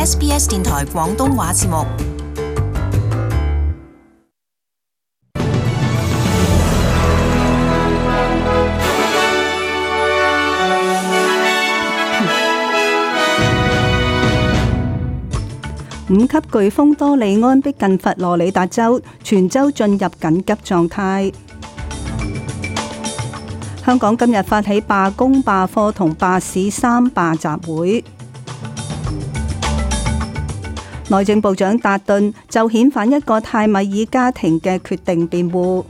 SBS 電台廣東話節目。五級颶風多利安逼近佛羅里達州，全州進入緊急狀態。香港今日發起罷工、罷課同罷市三罷集會。內政部長達頓就遣返一個泰米爾家庭嘅決定辯護。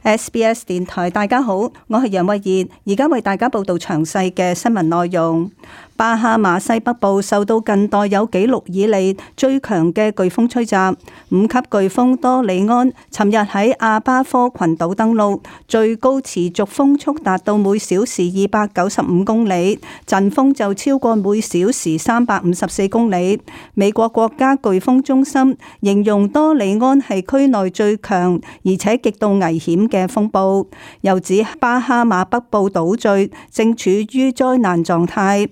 SBS 電台，大家好，我係楊慧儀，而家為大家報道詳細嘅新聞內容。巴哈馬西北部受到近代有紀錄以嚟最強嘅颶風吹襲，五級颶風多利安尋日喺阿巴科群島登陸，最高持續風速達到每小時295公里，陣風就超過每小時354公里。美國國家颶風中心形容多利安係區內最強而且極度危險嘅風暴，又指巴哈馬北部島嶼正處於災難狀態。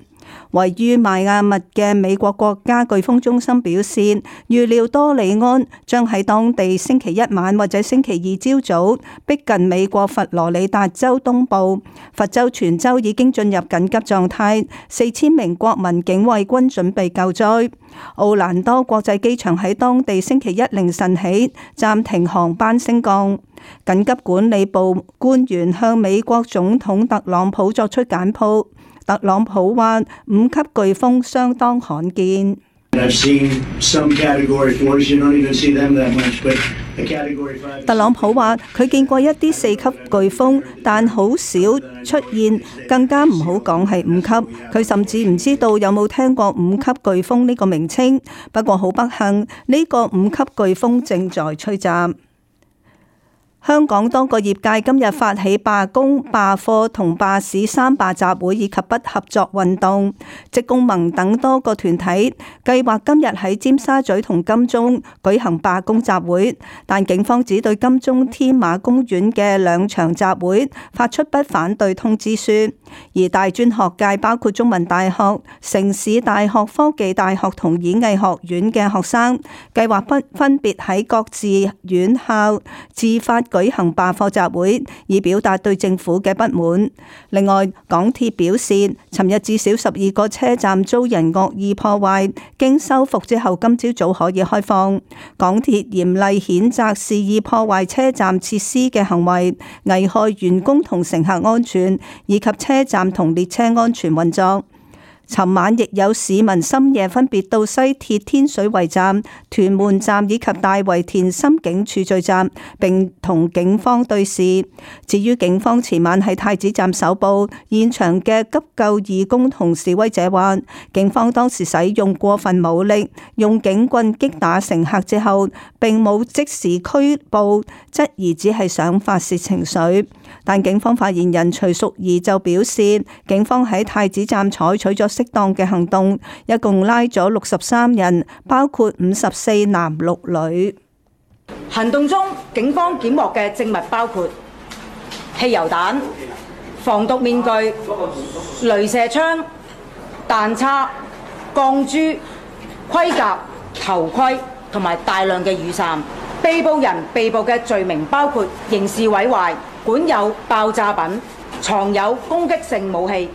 位於邁阿密嘅美國國家颶風中心表示，預料多利安將喺當地星期一晚或者星期二朝早逼近美國佛羅里達州東部，佛州全州已經進入緊急狀態，4000名國民警衛軍準備救災。奧蘭多國際機場喺當地星期一凌晨起暫停航班升降。緊急管理部官員向美國總統特朗普作出簡報。特朗普話：五級颶風相當罕見。特朗普話：佢見過一啲4級颶風，但好少出現，更加唔好講係5級。佢甚至唔知道有冇聽過5級颶風呢個名稱。不過好不幸，呢個5級颶風正在吹襲。香港多個業界今日發起罷工、罷課同罷市三罷集會以及不合作運動，職工盟等多個團體計劃今日喺尖沙咀同金鐘舉行罷工集會，但警方只對金鐘天馬公園嘅2場集會發出不反對通知書，而大專學界包括中文大學、城市大學、科技大學同演藝學院嘅學生計劃分別喺各自院校自發舉行罷課集會，以表達對政府嘅不滿。另外，港鐵表示，尋日至少12個車站遭人惡意破壞，經修復之後，今朝早可以開放。港鐵嚴厲譴責肆意破壞車站設施嘅行為，危害員工同乘客安全，以及車站同列車安全運作。尋晚亦有市民深夜分別到西鐵天水圍站、屯門站以及大圍田心警署聚集，並同警方對峙。至於警方前晚喺太子站搜捕現場嘅急救義工同示威者話，警方當時使用過分武力，用警棍擊打乘客之後，並冇即時拘捕，質疑只係想發洩情緒。但警方發言人徐淑儀就表示，警方喺太子站採取咗適當嘅行動，一共拉咗63人，包括54男6女。行動中，警方檢獲嘅證物包括汽油彈、防毒面具、鐳射槍、彈叉、鋼珠、盔甲、頭盔同埋大量嘅雨傘。被捕人被捕嘅罪名包括刑事毀壞、管有爆炸品、藏有攻擊性武器。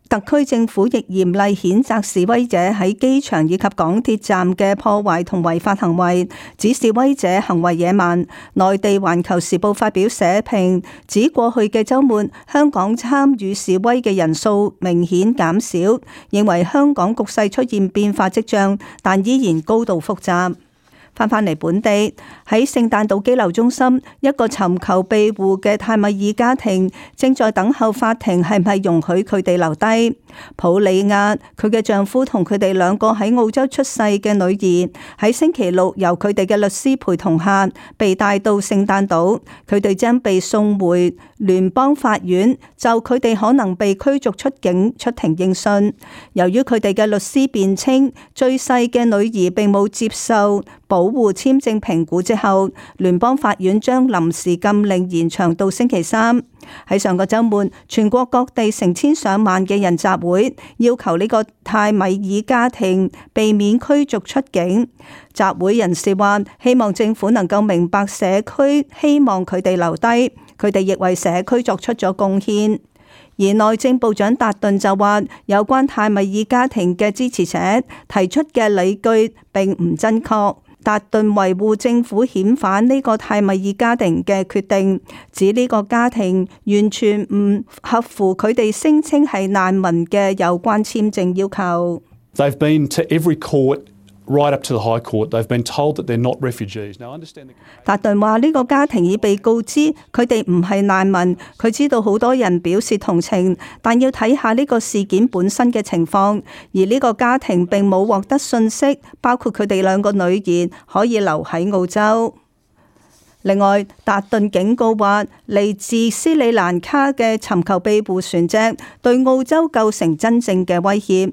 特區政府亦嚴厲譴責示威者喺機場以及港鐵站嘅破壞同違法行為，指示威者行為野蠻。內地《環球時報》發表社評，指過去嘅週末香港參與示威嘅人數明顯減少，認為香港局勢出現變化跡象，但依然高度複雜。翻嚟本地，喺聖誕島羈留中心，一個尋求庇護嘅泰米爾家庭正在等候法庭係咪容許佢哋留低。普里亞佢嘅丈夫同佢哋2個喺澳洲出世嘅女兒喺星期六由佢哋嘅律師陪同下被帶到聖誕島，佢哋將被送回聯邦法院，就佢哋可能被驅逐出境出庭應訊。由於佢哋嘅律師辯稱最細嘅女兒並冇接受保護簽證評估之後，聯邦法院將臨時禁令延長到星期三。喺上個週末，全國各地成千上萬嘅人集會，要求呢個泰米爾家庭避免驅逐出境。集會人士話，希望政府能夠明白社區希望佢哋留低，佢哋亦為社區作出咗貢獻。而內政部長達頓就話，有關泰米爾家庭嘅支持者提出嘅理據並唔真確。達頓維護政府遣返呢個泰米爾家庭嘅決定，指呢個家庭完全唔合乎佢哋聲稱係難民嘅有關簽證要求。They've been to every court. Right up to the High Court, they've been told that they're not refugees. Now, understand. 達頓話呢個家庭已被告知佢哋唔係難民，佢知道好多人表示同情，但要睇下呢個事件本身嘅情況。而呢個家庭並冇獲得信息，包括佢哋兩個女兒可以留喺澳洲。另外，達頓警告話，嚟自斯里蘭卡嘅尋求庇護船隻對澳洲構成真正嘅威脅。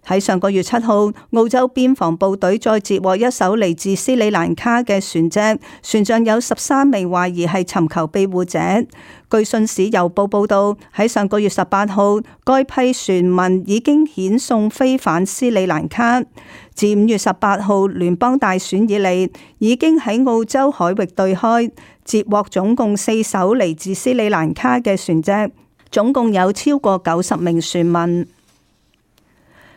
喺上個月7號，澳洲邊防部隊再截獲一艘嚟自斯里蘭卡嘅船隻，船上有13名懷疑係尋求庇護者。據信使郵報報道，喺上個月18號，該批船民已經遣送飛返斯里蘭卡。自5月18號聯邦大選以嚟，已經喺澳洲海域對開截獲總共4艘嚟自斯里蘭卡嘅船隻，總共有超過90名船民。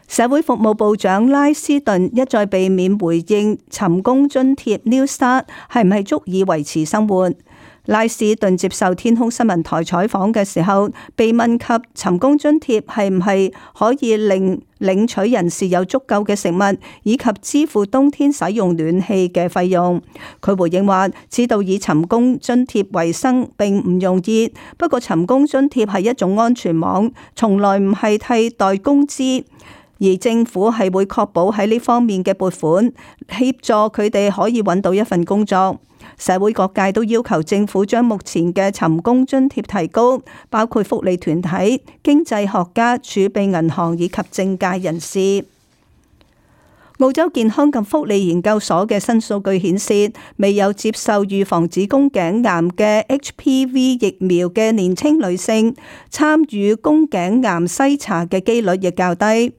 社會服務部長拉斯頓一再避免回應尋工津貼 New Start 係唔係足以維持生活。拉斯頓接受天空新聞台採訪嘅時候，被問及尋工津貼係唔係可以令領取人士有足夠嘅食物，以及支付冬天使用暖氣嘅費用，佢回應話：知道以尋工津貼為生並唔容易，不過尋工津貼係一種安全網，從來唔係替代工資。而政府係會確保喺呢方面嘅撥款，協助佢哋可以揾到一份工作。社會各界都要求政府將目前嘅尋工津貼提高，包括福利團體、經濟學家、儲備銀行以及政界人士。澳洲健康及福利研究所嘅新數據顯示，未有接受預防子宮頸癌嘅 HPV 疫苗嘅年輕女性，參與宮頸癌篩查嘅機率亦較低。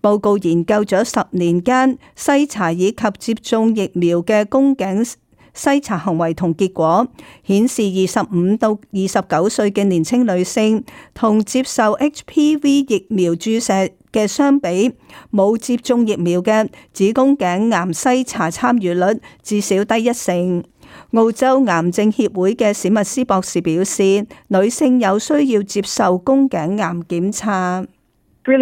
報告研究咗10年間篩查以及接種疫苗嘅宮頸篩查行為同結果，顯示25到29歲嘅年輕女性同接受 HPV 疫苗注射嘅相比，冇接種疫苗嘅子宮頸癌篩查參與率至少低1成。澳洲癌症協會嘅史密斯博士表示，女性有需要接受宮頸癌檢查。史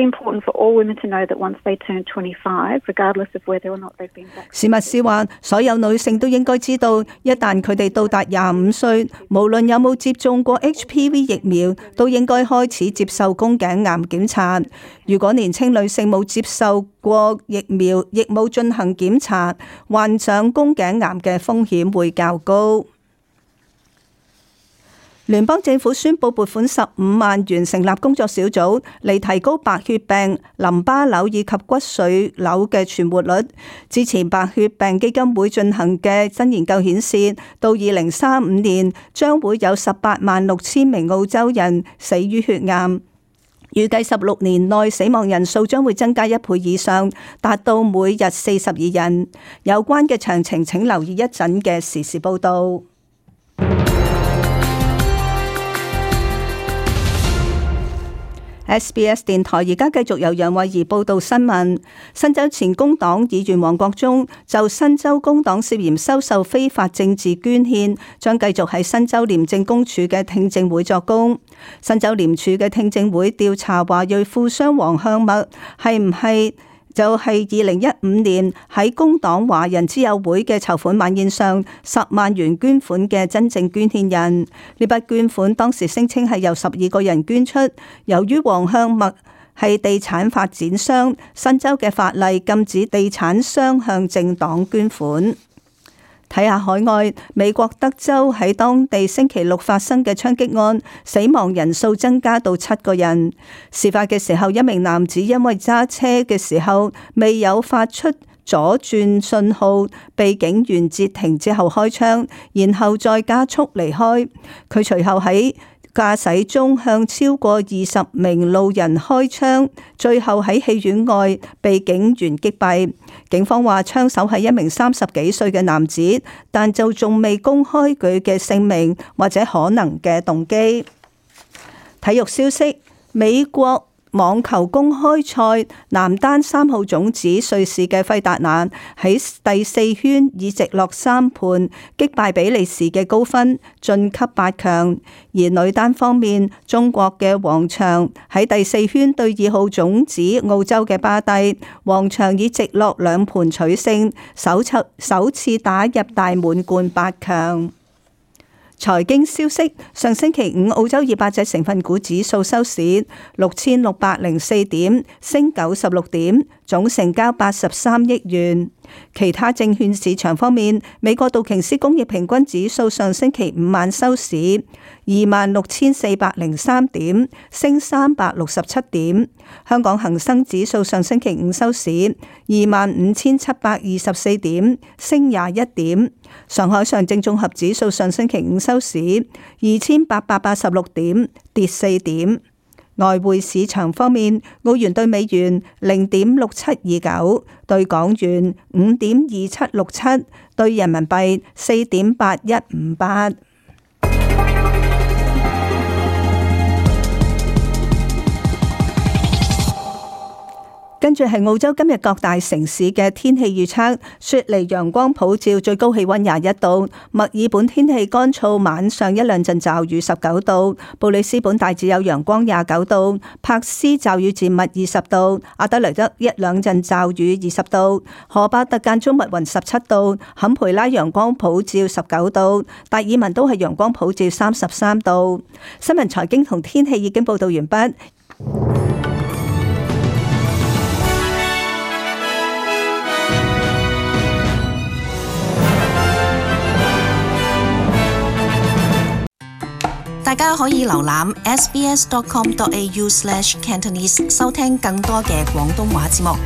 密斯話：所有女性都應該知道，一旦佢哋到達25歲，無論有冇接種過 HPV 疫苗，都應該開始接受宮頸癌檢查。如果年輕女性冇接受過疫苗，亦冇進行檢查，患上宮頸癌嘅風險會較高。聯邦政府宣布撥款15萬元成立工作小組，嚟提高白血病、淋巴瘤以及骨髓瘤嘅存活率。之前白血病基金會進行嘅新研究顯示，到2035年將會有186000名澳洲人死於血癌，預計16年內死亡人數將會增加1倍以上，達到每日42人。有關嘅詳情請留意一陣嘅時事報導。SBS 電台而家繼續由楊慧儀報道新聞。新州前工黨議員黃國忠就新州工黨涉嫌收受非法政治捐獻，將繼續喺新州廉政公署嘅聽證會作供。新州廉署嘅聽證會調查華裔富商黃向墨係唔係就係2015年喺工黨華人之友會嘅籌款晚宴上10萬元捐款嘅真正捐獻人。呢筆捐款當時聲稱係由12個人捐出。由於黃向墨係地產發展商，新州嘅法例禁止地產商向政黨捐款。睇下海外，美國德州喺當地星期六發生嘅槍擊案，死亡人數增加到7個人。事發嘅時候，一名男子因為揸車嘅時候未有發出左轉信號被警員截停之後開槍，然後再加速離開。佢隨後喺駕駛中向超過20名路人開槍，最後喺戲院外被警員擊斃。警方話槍手係一名30幾歲嘅男子，但就仲未公開佢嘅姓名或者可能嘅動機。體育消息：美國網球公開賽男單3號種子瑞士嘅費達拿喺第4圈以直落3盤擊敗比利時嘅高芬晉級8強，而女單方面，中國嘅王薔喺第4圈對2號種子澳洲嘅巴蒂，王薔以直落2盤取勝，首次打入大滿貫8強。財經消息：上星期五澳洲200隻成分股指數收市6604點，升96點，總成交83億元。其他證券市場方面，美國道瓊斯工業平均指數上星期五晚收市26,403點，升367點。香港恒生指數上星期五收市25,724點，升21點。上海上證綜合指數上星期五收市2,886點，跌4點。外匯市場方面，澳元兌美元0.6729，兌港元5.2767，兌人民幣4.8158。跟住係澳洲今日各大城市嘅天氣預測：雪梨陽光普照，最高氣溫21度；墨爾本天氣乾燥，晚上一兩陣驟雨19度；布里斯本大致有陽光29度；柏斯驟雨漸密20度；阿德萊德一兩陣驟雨20度；荷巴特間中密雲17度；坎培拉陽光普照19度；達爾文都係陽光普照33度。新聞財經同天氣已經報道完畢。大家可以瀏覽 sbs.com.au/cantonese 收聽更多嘅廣東話節目。